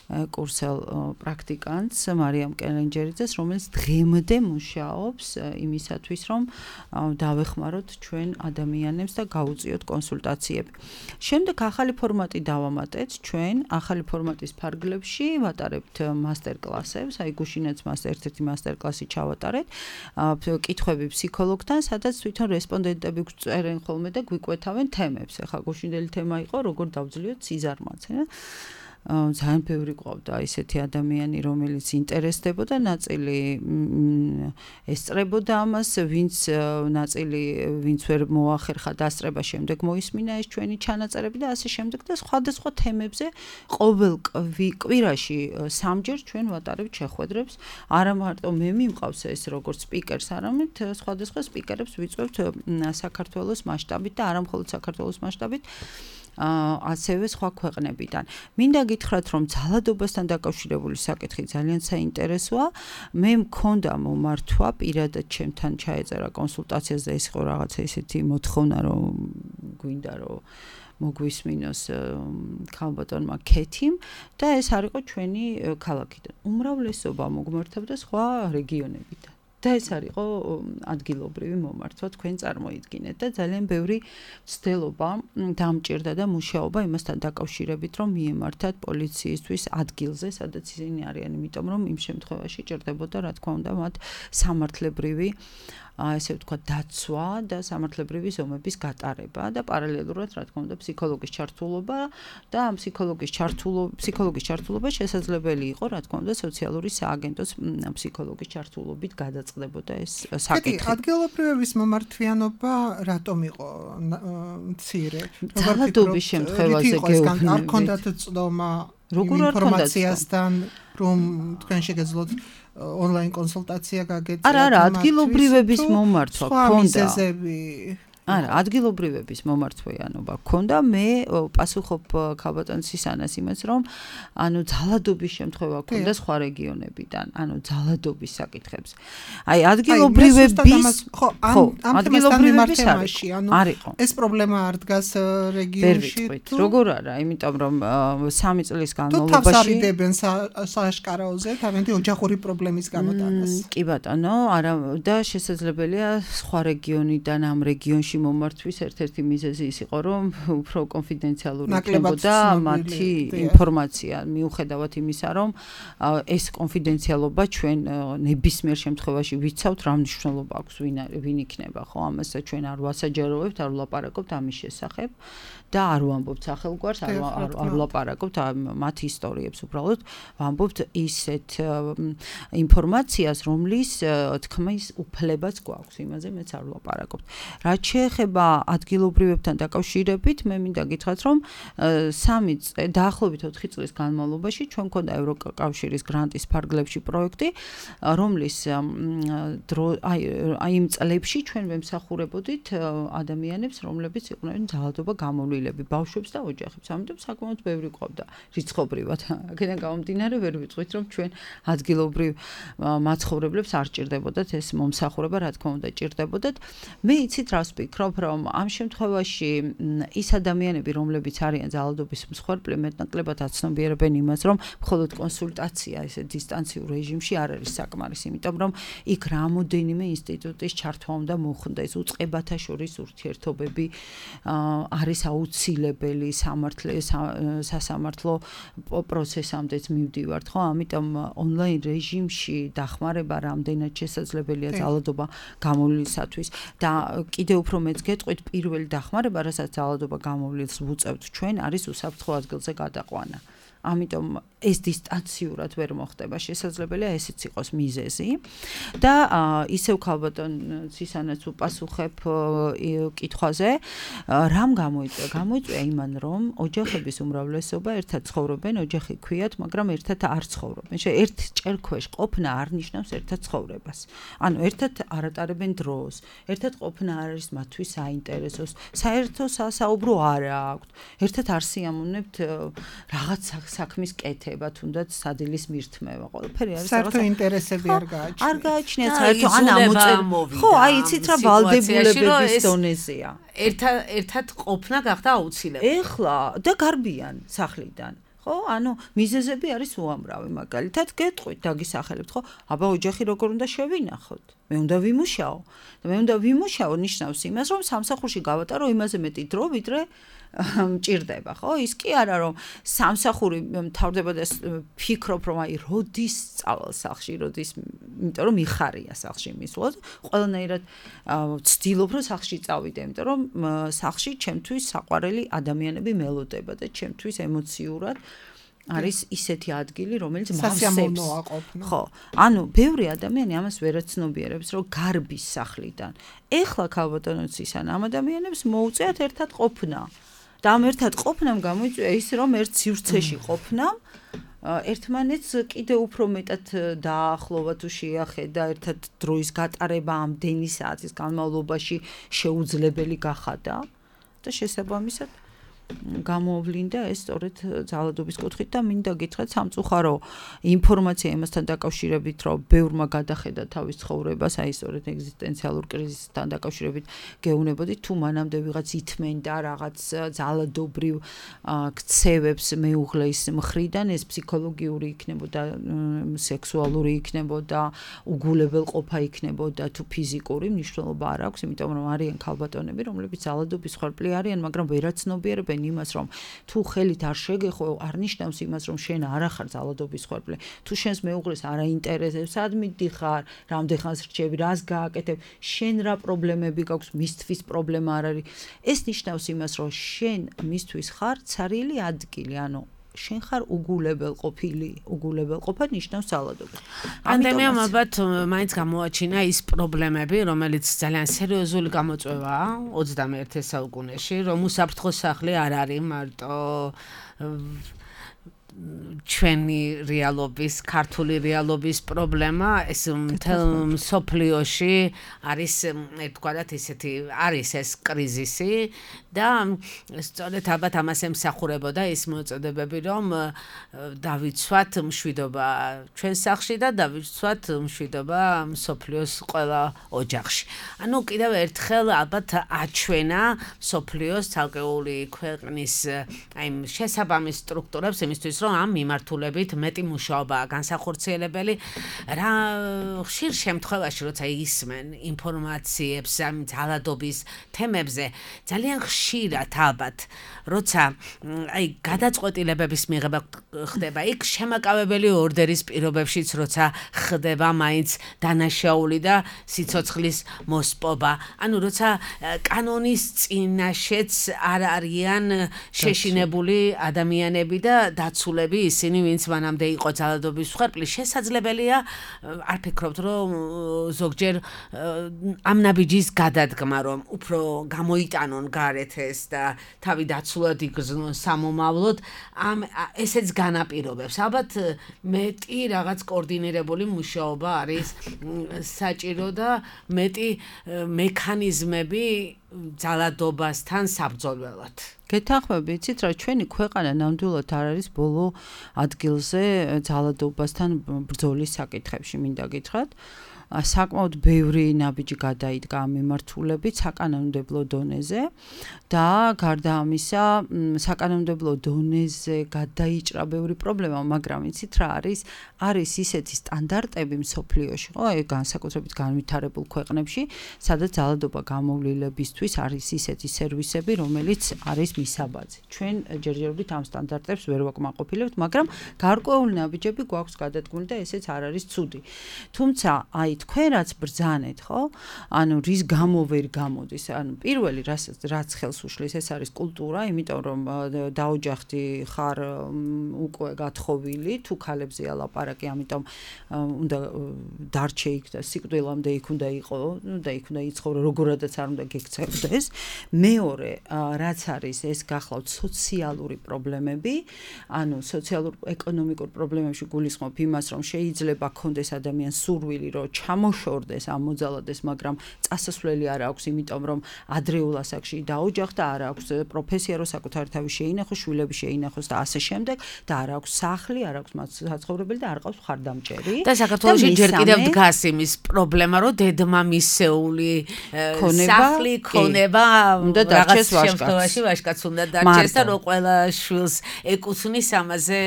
კურსელ პრაქტიკანტს მარიამ კელენჯერიძეს, რომელიც დღემდე მუშაობს იმისათვის, რომ დავეხმაროთ ჩვენ ადამიანებს და გაუწიოთ კონსულტაციები. შემდეგ ახალი ფორმატი დავამატეთ ჩვენ, ახალი ფორმატის ფარგლებში ვატარებთ მასტერკლასებს, აი გუშინაც მას ერთ-ერთი მასტერკლასი ჩავატარეთ, კითხვები ფსიქოლოგთან, სადაც თვითონ რესპონდენტები გვწერენ ხოლმე და გვიკვეთავენ თემებს. ახლა გუშინდელი თემა იყო, როგორ დავძლიოთ სიზარმაცე. ძალიან ბევრი ყავდა ისეთი ადამიანი, რომელიც ინტერესდებოდა, ნაწილი ესწრებოდა ამას, ვინც ნაწილი ვინც ვერ მოახერხა დასწრება, შემდეგ მოისმინა ეს ჩვენი ჩანაწერები და ასე შემდეგ და სხვადასხვა თემებზე ყოველ კვირაში სამჯერ ჩვენ ვატარებთ შეხვედრებს. არა მარტო მე მიმყავს ეს როგორც სპიკერს, არამედ სხვადასხვა სპიკერებს ვიწვევთ საქართველოს მასშტაბით და არა მხოლოდ საქართველოს მასშტაბით. ასევე სხვა ქვეყნებიდან. მინდა გითხრათ, რომ ძალადობასთან დაკავშირებული საკითხი ძალიან საინტერესოა. მე მქონდა მომართვა პირადად ჩემთან ჩაეწერა კონსულტაციაზე, ეს იყო რაღაცა ისეთი მოთხოვნა, რომ გვინდა რომ მოგვისმინოს ქალბატონმა ქეთიმ და ეს არ იყო ჩვენი ქალაქიდან. უმრავლესობა მოგმართებდა სხვა რეგიონებიდან. და ეს არისო ადგილობრივი მომართვა თქვენ წარმოიდგინეთ და ძალიან ბევრი ცდელობა დამჭირდა და მუშაობა იმასთან დაკავშირებით რომ მიემართათ პოლიციისთვის ადგილზე სადაც ისინი არიან იმიტომ რომ იმ შემთხვევაში ჭირდებოდა რა თქმა უნდა მათ სამართლებრივი ესე ვთქვათ დაცვა და სამართლებრივი ზომების გატარება და პარალელურად რა თქმა უნდა ფსიქოლოგის ჩართულობა და ამ ფსიქოლოგის ჩართულობა ფსიქოლოგის ჩართულობა შესაძლებელი იყო რა თქმა უნდა სოციალური სააგენტოს ფსიქოლოგის ჩართულობით გადაწყდებოდა ეს საკითხი. ადგილობრივების მომართვიანობა რატომ იყო მცირე? ძალადობის შემთხვევაზე გეუბნებით. არ ქონდათ წდომა ინფორმაციასთან რომ თქვენ შეგეძლოთ ონლაინ კონსულტაცია გაგეწიათ? არა, არა, ადგილობრივების მომართვა ქონდა. არა, ადგილობრივების მომართვიანობა ქონდა. მე პასუხობ ქალბატონ სისანას იმას, რომ ანუ ძალადობის შემთხვევა ქონდა სხვა რეგიონებიდან, ანუ ძალადობის საკითხებს. აი, ადგილობრივების ხო, ადგილობრივების თემაში, ანუ ეს პრობლემა არ დგას რეგიონში თუ როგორ არა, იმიტომ რომ სამი წლის განმავლობაში თუ თავს არიდებენ სააშკარაოზე, თავენდი ოჯახური პრობლემის გამოტანას. კი ბატონო, არა და შესაძლებელია სხვა რეგიონიდან ამ რეგიონში მომართვის ერთ-ერთი მიზეზი ის იყო, რომ უფრო კონფიდენციალური იქნებოდა მათი ინფორმაცია, მიუხედავად იმისა, რომ ეს კონფიდენციალობა ჩვენ ნებისმიერ შემთხვევაში ვიცავთ, რა მნიშვნელობა აქვს ვინ იქნება, ხო, ამასაც ჩვენ არ ვასაჯაროვებთ, არ ვლაპარაკობთ ამის შესახებ და არ ვამბობთ სახელგვარს, არ ვლაპარაკობთ მათ ისტორიებს, უბრალოდ ვამბობთ ისეთ ინფორმაციას, რომლის თქმის უფლებაც გვაქვს, იმაზე მეც არ ვლაპარაკობთ. რაც შეეხება ადგილობრივებთან დაკავშირებით, მე მინდა გითხრათ, რომ სამი დაახლოებით ოთხი წლის განმავლობაში ჩვენ მქონდა ევროკავშირის გრანტის ფარგლებში პროექტი, რომლის აი იმ წლებში ჩვენ ვემსახურებოდით ადამიანებს, რომლებიც იყვნენ ძალადობა გამოვლილები, ბავშვებს და ოჯახებს. ამიტომ საკმაოდ ბევრი ყოფდა რიცხობრივად. აქედან გამომდინარე ვერ ვიტყვით, რომ ჩვენ ადგილობრივ მაცხოვრებლებს არ ჭირდებოდათ ეს მომსახურება, რა თქმა უნდა ჭირდებოდათ. მე იცით რას ვფიქრობ, რომ ამ შემთხვევაში ის ადამიანები, რომლებიც არიან ძალადობის მსხვერპლი, მეტნაკლებად აცნობიერებენ იმას, რომ მხოლოდ კონსულტაცია ესე დისტანციურ რეჟიმში არ არის საკმარის, იმიტომ რომ იქ რამოდენიმე ინსტიტუტის ჩართვა უნდა მოხდეს, უწყებათა შორის ურთიერთობები არის აუცილებელი სასამართლო პროცესამდეც მივდივართ, ხო? ამიტომ ონლაინ რეჟიმში დახმარება რამდენად შესაძლებელია ძალადობა გამოვლისათვის და კიდევ უფრო მეც გეტყვით პირველი დახმარება, რასაც ძალადობა გამოვლილს ვუწევთ ჩვენ, არის უსაფრთხო ადგილზე გადაყვანა. ამიტომ ეს დისტანციურად ვერ მოხდება, შესაძლებელია ესეც იყოს მიზეზი და ისევ ქალბატონ სისანაც უპასუხებ კითხვაზე, რამ გამოიწვია? გამოიწვია იმან, რომ ოჯახების უმრავლესობა ერთად ცხოვრობენ, ოჯახი ქვიათ, მაგრამ ერთად არ ცხოვრობენ. ერთ ჭერ ქვეშ ყოფნა არ ნიშნავს ერთად ცხოვრებას. ანუ ერთად არ ატარებენ დროს, ერთად ყოფნა არ არის მათთვის საინტერესოს, საერთო სასაუბრო არ აქვთ, ერთად არ სიამოვნებთ რაღაც საქმის კეთება, თუნდაც სადილის მირთმევა. ყველაფერი არის საერთო ინტერესები არ გააჩნიათ. არ გააჩნიათ საერთო ან ამოწერ. ხო, აი იცით რა ვალდებულებების დონეზეა. ერთად ერთად ყოფნა გახდა აუცილებელი. ეხლა და გარბიან სახლიდან. ხო, ანუ მიზეზები არის უამრავი, მაგალითად გეტყვით, დაგისახელებთ, ხო? აბა ოჯახი როგორ უნდა შევინახოთ? მე უნდა ვიმუშაო. და მე უნდა ვიმუშაო ნიშნავს იმას, რომ სამსახურში გავატარო იმაზე მეტი დრო, ვიდრე მჭირდება, ხო? ის კი არა, რომ სამსახური მთავრდება და ფიქრობ, რომ აი როდის წავალ სახლში, როდის, იმიტომ რომ იხარია სახლში მისვლად, ყველანაირად ვცდილობ, რომ სახლში წავიდე, იმიტომ რომ სახლში ჩემთვის საყვარელი ადამიანები მელოდება და ჩემთვის ემოციურად არის ისეთი ადგილი, რომელიც მავსებს. ხო, ანუ ბევრი ადამიანი ამას ვერაცნობიერებს, რომ გარბის სახლიდან. ეხლა ქალბატონო სისანა ამ ადამიანებს მოუწიათ ერთად ყოფნა. და ამ ერთად ყოფნამ გამოიწვია ის, რომ ერთ სივრცეში ყოფნამ ერთმანეთს კიდევ უფრო მეტად დაახლოვა თუ შეახედა, ერთად დროის გატარება ამდენი საათის განმავლობაში შეუძლებელი გახადა და შესაბამისად გამოვლინდა ეს სწორედ ძალადობის კუთხით და მინდა გითხრათ სამწუხარო ინფორმაცია იმასთან დაკავშირებით, რომ ბევრმა გადახედა თავის ცხოვრებას, აი სწორედ ეგზისტენციალურ კრიზისთან დაკავშირებით გეუბნებოდით, თუ მანამდე ვიღაც ითმენდა რაღაც ძალადობრივ ქცევებს მეუღლის მხრიდან, ეს ფსიქოლოგიური იქნებოდა, სექსუალური იქნებოდა, უგულებელყოფა იქნებოდა თუ ფიზიკური, მნიშვნელობა არ აქვს, იმიტომ რომ არიან ქალბატონები, რომლებიც ძალადობის ხარბლი არიან, მაგრამ ვერაცნობიერებენ იმას, რომ თუ ხელით არ შეგეხო, არ ნიშნავს იმას, რომ შენ არ ახარ ძალადობის ხარბლი. თუ შენს მეუღლეს არ აინტერესებს, სად მიდიხარ, რამდენ ხანს რჩები, რას გააკეთებ, შენ რა პრობლემები გაქვს, მისთვის პრობლემა არ არის. ეს ნიშნავს იმას, რომ შენ მისთვის ხარ ცარიელი ადგილი, ანუ შენ ხარ უგულებელყოფილი, უგულებელყოფა ნიშნავს ძალადობას. პანდემიამ ალბათ მაინც გამოაჩინა ის პრობლემები, რომელიც ძალიან სერიოზული გამოწვევაა ოცდამეერთე საუკუნეში, რომ უსაფრთხო სახლი არ არის მარტო ჩვენი რეალობის, ქართული რეალობის პრობლემა, ეს მთელ მსოფლიოში არის, ერთგვარად ისეთი, არის ეს კრიზისი და სწორედ ალბათ ამას ემსახურებოდა ის მოწოდებები, რომ დავიცვათ მშვიდობა ჩვენ სახლში და დავიცვათ მშვიდობა მსოფლიოს ყველა ოჯახში. ანუ კიდევ ერთხელ ალბათ აჩვენა მსოფლიოს ცალკეული ქვეყნის აი შესაბამის სტრუქტურებს იმისთვის, რომ ამ მიმართულებით მეტი მუშაობაა განსახორციელებელი, რა ხშირ შემთხვევაში, როცა ისმენ ინფორმაციებს ამ ძალადობის თემებზე, ძალიან ხშირად ალბათ, როცა აი გადაწყვეტილებების მიღება ხდება, იქ შემაკავებელი ორდერის პირობებშიც, როცა ხდება მაინც დანაშაული და სიცოცხლის მოსპობა, ანუ როცა კანონის წინაშეც არ არიან შეშინებული ადამიანები და დაცულები ისინი, ვინც მანამდე იყო ძალადობის ხარბლი, შესაძლებელია, არ ფიქრობთ, რომ ზოგჯერ ამ ნაბიჯის გადადგმა, რომ უფრო გამოიტანონ გარეთ ეს და თავი დაცულად იგრძნონ სამომავლოდ, ამ ესეც განაპირობებს. ალბათ მეტი რაღაც კოორდინირებული მუშაობა არის საჭირო და მეტი მექანიზმები ძალადობასთან საბრძოლველად. გეთანხმები, იცით რა, ჩვენი ქვეყანა ნამდვილად არ არის ბოლო ადგილზე ძალადობასთან ბრძოლის საკითხებში, მინდა გითხრათ. საკმაოდ ბევრი ნაბიჯი გადაიდგა ამ მიმართულებით საკანონმდებლო დონეზე და გარდა ამისა, საკანონმდებლო დონეზე გადაიჭრა ბევრი პრობლემა, მაგრამ იცით რა არის? არის ისეთი სტანდარტები მსოფლიოში, ხო, განსაკუთრებით განვითარებულ ქვეყნებში, სადაც ძალადობა გამოვლინებისთვის არის ისეთი სერვისები, რომელიც არის მისაბაძი. ჩვენ ჯერჯერობით ამ სტანდარტებს ვერ ვაკმაყოფილებთ, მაგრამ გარკვეული ნაბიჯები გვაქვს გადადგმული და ესეც არ არის ცუდი. თუმცა, აი თქვენ რაც ბრძანეთ, ხო? ანუ რის გამო ვერ გამოდის? ანუ პირველი რაც რაც ხელს უშლის, ეს არის კულტურა, იმიტომ რომ დაოჯახდი ხარ უკვე გათხოვილი, თუ ქალებზეა ლაპარაკი, ამიტომ უნდა დარჩე იქ და სიკვდილამდე იქ უნდა იყო, ნუ და იქ უნდა იცხოვრო, როგორადაც არ უნდა გექცევდეს. მეორე, რაც არის, ეს გახლავთ სოციალური პრობლემები, ანუ სოციალურ-ეკონომიკურ პრობლემებში გულისხმობ იმას, რომ შეიძლება ქონდეს ადამიანს სურვილი, რომ ჩამოშორდეს, ამოძალადეს, მაგრამ წასასვლელი არ აქვს, იმიტომ რომ ადრეულ ასაკში დაოჯახდა, არ აქვს პროფესია, რომ საკუთარი თავი შეინახოს, შვილები შეინახოს და ასე შემდეგ და არ აქვს სახლი, არ აქვს საცხოვრებელი და არ ყავს მხარდამჭერი. და საქართველოში ჯერ კიდევ დგას იმის პრობლემა, რომ დედმა მისეული სახლი ქონება, უნდა დარჩეს შემთხვევაში ვაჟკაცს უნდა დარჩეს და რომ ყველა შვილს ეკუთვნის ამაზე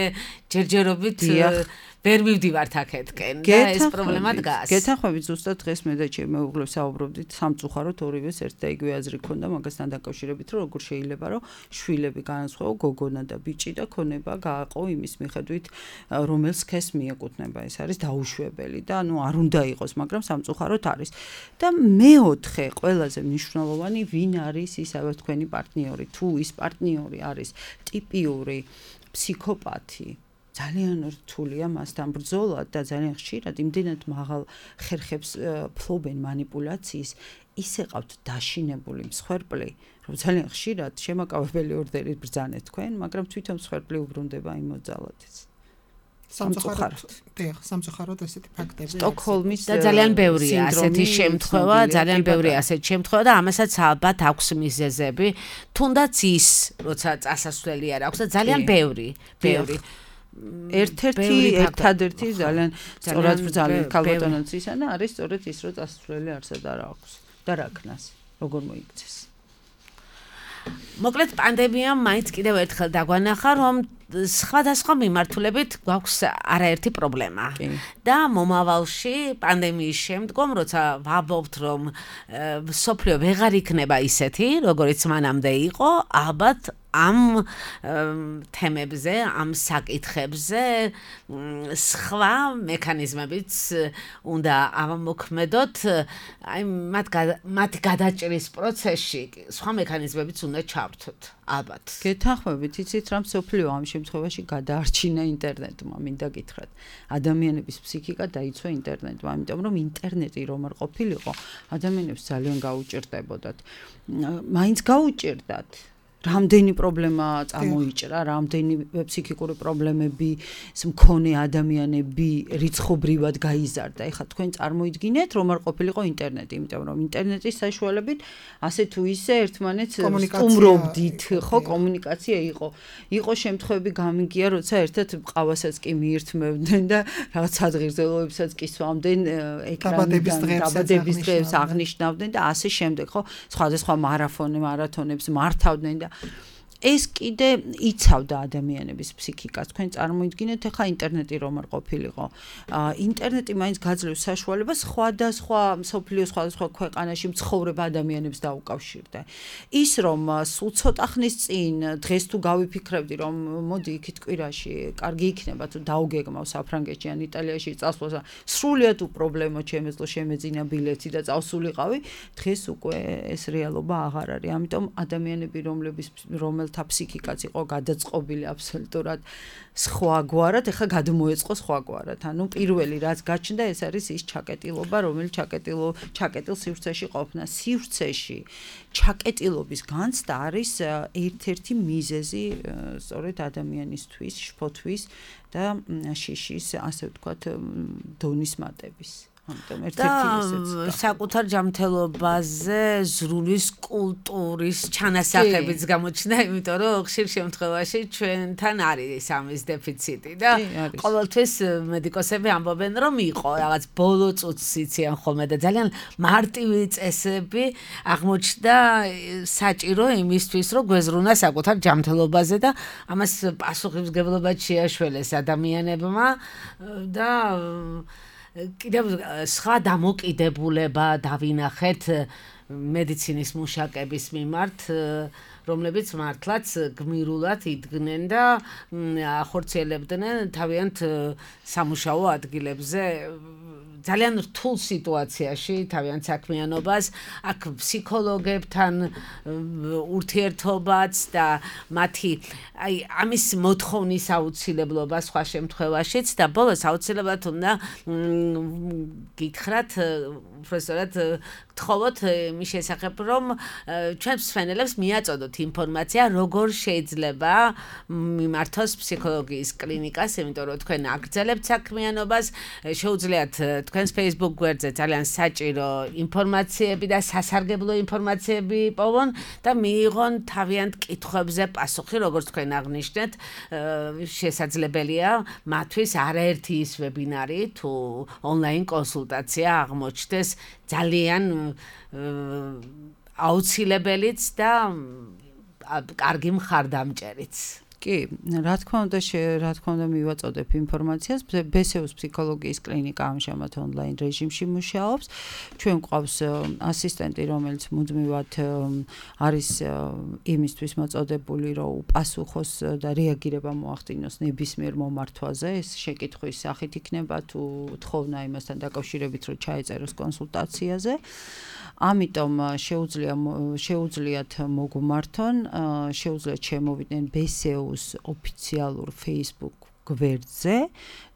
ჯერჯერობით ვერ მივდივართ აქეთკენ და ეს პრობლემა დგას. გეთანხმებით, ზუსტად დღეს მე და ჩემი მეუღლე საუბრობდით სამწუხაროდ ორივეს ერთ და იგივე აზრი ქონდა მაგასთან დაკავშირებით, რომ როგორ შეიძლება, რომ შვილები განსხვავო გოგონა და ბიჭი და ქონება გააყო იმის მიხედვით, რომელ სქესს მიეკუთვნება. ეს არის დაუშვებელი და ანუ არ უნდა იყოს, მაგრამ სამწუხაროდ არის. და მეოთხე ყველაზე მნიშვნელოვანი, ვინ არის ისევე თქვენი პარტნიორი? თუ ის პარტნიორი არის ტიპიური ფსიქოპათი, ძალიან რთულია მასთან ბრძოლა და ძალიან ხშირად იმდენად მაღალ ხერხებს ფლობენ манипуляციის, ისე ყავთ დაშინებული მსხვერპლი, რომ ძალიან ხშირად შემაკავებელი ორდერით ბრძანეთ თქვენ, მაგრამ თვითონ მსხვერპლი უბრუნდება იმ მოძალადից. სამწუხაროდ დიახ სამწუხაროდ ესეთი ფაქტები სტოკჰოლმის და ძალიან ბევრია ასეთი შემთხვევა ძალიან ბევრია ასეთი შემთხვევა და ამასაც ალბათ აქვს მიზეზები თუნდაც ის როცა წასასვლელი არ აქვს და ძალიან ბევრი ბევრი ერთ-ერთი ერთადერთი ძალიან სწორად ბრძალი ქალბატონიც ისა და არის სწორედ ის რომ წასასვლელი არსად არ აქვს და რა ქნას როგორ მოიქცეს მოკლედ პანდემიამ მაინც კიდევ ერთხელ დაგვანახა რომ სხვადასხვა მიმართულებით გვაქვს არაერთი პრობლემა და მომავალში პანდემიის შემდგომ როცა ვაბობთ რომ სოფლიო ვეღარ იქნება ისეთი როგორიც მანამდე იყო ალბათ ამ თემებზე ამ საკითხებზე სხვა მექანიზმებიც უნდა ამოქმედოთ აი მათ მათი გადაჭრის პროცესში სხვა მექანიზმებიც უნდა ჩავრთოთ ალბათ გეთანხმებით იცით რა სოფლიო ამ შემთხვევაში გადაარჩინა ინტერნეტმა მინდა გითხრათ ადამიანების ფსიქიკა დაიცვა ინტერნეტმა იმიტომ რომ ინტერნეტი რომ არ ყოფილიყო ადამიანებს ძალიან გაუჭირდებოდათ მაინც გაუჭირდათ რამდენი პრობლემა წამოიჭრა, რამდენი ფსიქიკური პრობლემები მქონე ადამიანები რიცხობრივად გაიზარდა. ეხლა თქვენ წარმოიდგინეთ, რომ არ ყოფილიყო ინტერნეტი, იმიტომ რომ ინტერნეტის საშუალებით ასე თუ ისე ერთმანეთს სტუმრობდით, ხო, კომუნიკაცია იყო. იყო შემთხვევები გამიგია, როცა ერთად ყავასაც კი მიირთმევდნენ და რაღაც სადღირდელოებსაც კი სვამდნენ ეკრანიდან, დაბადების დღეებს აღნიშნავდნენ და ასე შემდეგ, ხო, სხვადასხვა მარათონებს, მარათონებს მართავდნენ და ეს კიდე იცავდა ადამიანების ფსიქიკას. თქვენ წარმოიდგინეთ, ახლა ინტერნეტი რომ არ ყოფილიყო. ინტერნეტი მაინც გაძლევს საშუალებას სხვადასხვა მსოფლიოს სხვადასხვა ქვეყანაში მცხოვრებ ადამიანებს დაუკავშირდა. ის რომ სულ ცოტა ხნის წინ დღეს თუ გავიფიქრებდი რომ მოდი იქით კვირაში კარგი იქნება თუ დაუგეგმავ საფრანგეთში ან იტალიაში წასვლას სრულიად უპრობლემო შემეძლო შემეძინა ბილეთი და წავსულიყავი დღეს უკვე ეს რეალობა აღარ არის. ამიტომ ადამიანები რომლების რომელ თა ფსიქიკაც იყო გადაწყობილი აბსოლუტურად სხვაგვარად, ეხლა გადმოეწყო სხვაგვარად. ანუ პირველი რაც გაჩნდა ეს არის ის ჩაკეტილობა, რომელიც ჩაკეტილო ჩაკეტილ სივრცეში ყოფნა. სივრცეში ჩაკეტილობის განცდა არის ერთ-ერთი მიზეზი სწორედ ადამიანისთვის, შფოთვის და შიშის, ასე ვთქვათ, დონის მატების. ამიტომ ერთ-ერთი ესეც საკუთარ ჯანმრთელობაზე ზრუნვის კულტურის ჩანასახებიც გამოჩნდა, იმიტომ რომ ხშირ შემთხვევაში ჩვენთან არის ამის დეფიციტი და ყოველთვის მედიკოსები ამბობენ რომ იყო რაღაც ბოლო წუთს იციან ხოლმე და ძალიან მარტივი წესები აღმოჩნდა საჭირო იმისთვის რომ გვეზრუნა საკუთარ ჯანმრთელობაზე და ამას პასუხისმგებლობა შეაშველეს ადამიანებმა და კიდევ სხვა დამოკიდებულება დავინახეთ მედიცინის მუშაკების მიმართ, რომლებიც მართლაც გმირულად იდგნენ და ახორციელებდნენ თავიანთ სამუშაო ადგილებზე ძალიან რთულ სიტუაციაში თავიანთ საქმიანობას, აქ ფსიქოლოგებთან ურთიერთობაც და მათი აი ამის მოთხოვნის აუცილებლობა სხვა შემთხვევაშიც და ბოლოს აუცილებლად უნდა გითხრათ უბრალოდ გთხოვოთ იმის შესახებ, რომ ჩვენ მსმენელებს მიაწოდოთ ინფორმაცია, როგორ შეიძლება მიმართოს ფსიქოლოგიის კლინიკას, იმიტომ რომ თქვენ აგრძელებთ საქმიანობას, შეუძლიათ თქვენს Facebook გვერდზე ძალიან საჭირო ინფორმაციები და სასარგებლო ინფორმაციები პოვონ და მიიღონ თავიანთ კითხვებზე პასუხი, როგორც თქვენ აღნიშნეთ, შესაძლებელია მათთვის არაერთი ის ვებინარი თუ ონლაინ კონსულტაცია აღმოჩნდეს ძალიან აუცილებელიც და კარგი მხარდამჭერიც. კი, რა თქმა უნდა, რა თქმა უნდა მივაწოდებ ინფორმაციას. ბესეუს ფსიქოლოგიის კლინიკა ამჟამად ონლაინ რეჟიმში მუშაობს. ჩვენ გვყავს ასისტენტი, რომელიც მუდმივად არის იმისთვის მოწოდებული, რომ უპასუხოს და რეაგირება მოახდინოს ნებისმიერ მომართვაზე. ეს შეკითხვის სახით იქნება თუ თხოვნა იმასთან დაკავშირებით, რომ ჩაეწეროს კონსულტაციაზე. ამიტომ შეუძლია შეუძლიათ მოგმართონ, შეუძლიათ შემოვიდნენ ბესეუს ოფიციალურ Facebook გვერდზე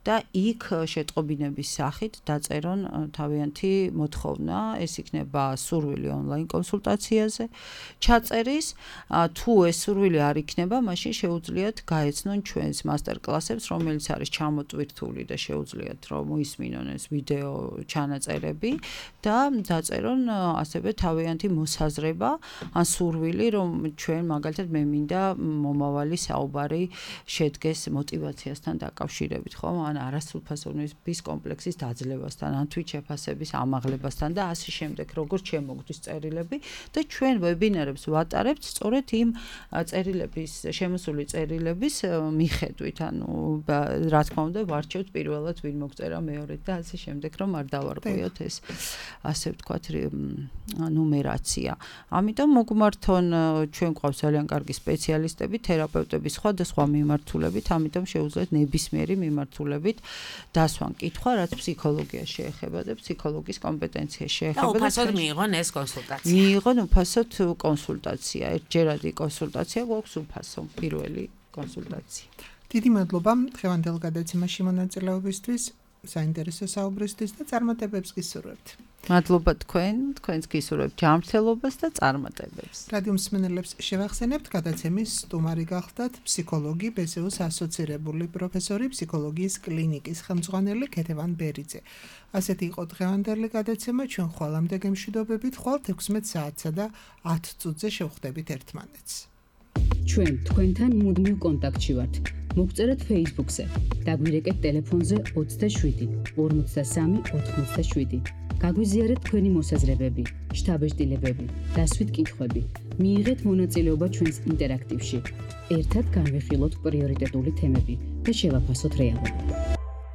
და იქ შეტყობინების სახით დაწერონ თავიანთი მოთხოვნა, ეს იქნება სურვილი ონლაინ კონსულტაციაზე ჩაწერის, თუ ეს სურვილი არ იქნება, მაშინ შეუძლიათ გაეცნონ ჩვენს მასტერკლასებს, რომელიც არის ჩამოტვირთული და შეუძლიათ რომ მოისმინონ ეს ვიდეო ჩანაწერები და დაწერონ ასევე თავიანთი მოსაზრება, ან სურვილი, რომ ჩვენ მაგალითად მე მინდა მომავალი საუბარი შედგეს мотивაციასთან დაკავშირებით, ხო? ან არასრულფასოვნების კომპლექსის დაძლევასთან, ან თვითშეფასების ამაღლებასთან და ასე შემდეგ, როგორც შემოგდის წერილები და ჩვენ ვებინარებს ვატარებთ სწორედ იმ წერილების, შემოსული წერილების მიხედვით, ანუ რა თქმა უნდა, ვარჩევთ პირველად ვინ მოგწერა მეორედ და ასე შემდეგ, რომ არ დავარღვიოთ ეს ასე ვთქვათ ნუმერაცია. ამიტომ მოგმართონ ჩვენ გვყავს ძალიან კარგი სპეციალისტები, თერაპევტები, სხვადასხვა მიმართულებით, ამიტომ შეუძლიათ ნებისმიერი მიმართულებით დასვან კითხვა, რაც ფსიქოლოგიას შეეხება და ფსიქოლოგის კომპეტენციას შეეხება. და უფასოდ მიიღონ ეს კონსულტაცია. მიიღონ უფასოდ კონსულტაცია. ერთჯერადი კონსულტაცია გვაქვს უფასო, პირველი კონსულტაცია. დიდი მადლობა დღევანდელ გადაცემაში მონაწილეობისთვის, საინტერესო საუბრისთვის და წარმატებებს გისურვებთ. მადლობა თქვენ, თქვენს გისურვებთ ჯანმრთელობას და წარმატებებს. რადიო მსმენელებს შევახსენებთ, გადაცემის სტუმარი გახლდათ ფსიქოლოგი, ბე ეს იუს ასოცირებული პროფესორი, ფსიქოლოგიის კლინიკის ხელმძღვანელი ქეთევან ბერიძე. ასეთი იყო დღევანდელი გადაცემა, ჩვენ ხვალამდე გემშვიდობებით, ხვალ თექვსმეტ საათსა და ათ წუთზე შევხვდებით ერთმანეთს. ჩვენ თქვენთან მუდმივ კონტაქტში ვართ. მოგწერეთ Facebook-ზე, დაგვირეკეთ ტელეფონზე ოცდაშვიდი ორმოცდასამი ოთხმოცდაშვიდი. გაგვიზიარეთ თქვენი მოსაზრებები, შთაბეჭდილებები, დასვით კითხვები. მიიღეთ მონაწილეობა ჩვენს ინტერაქტივში. ერთად განვიხილოთ პრიორიტეტული თემები და შევაფასოთ რეალობა.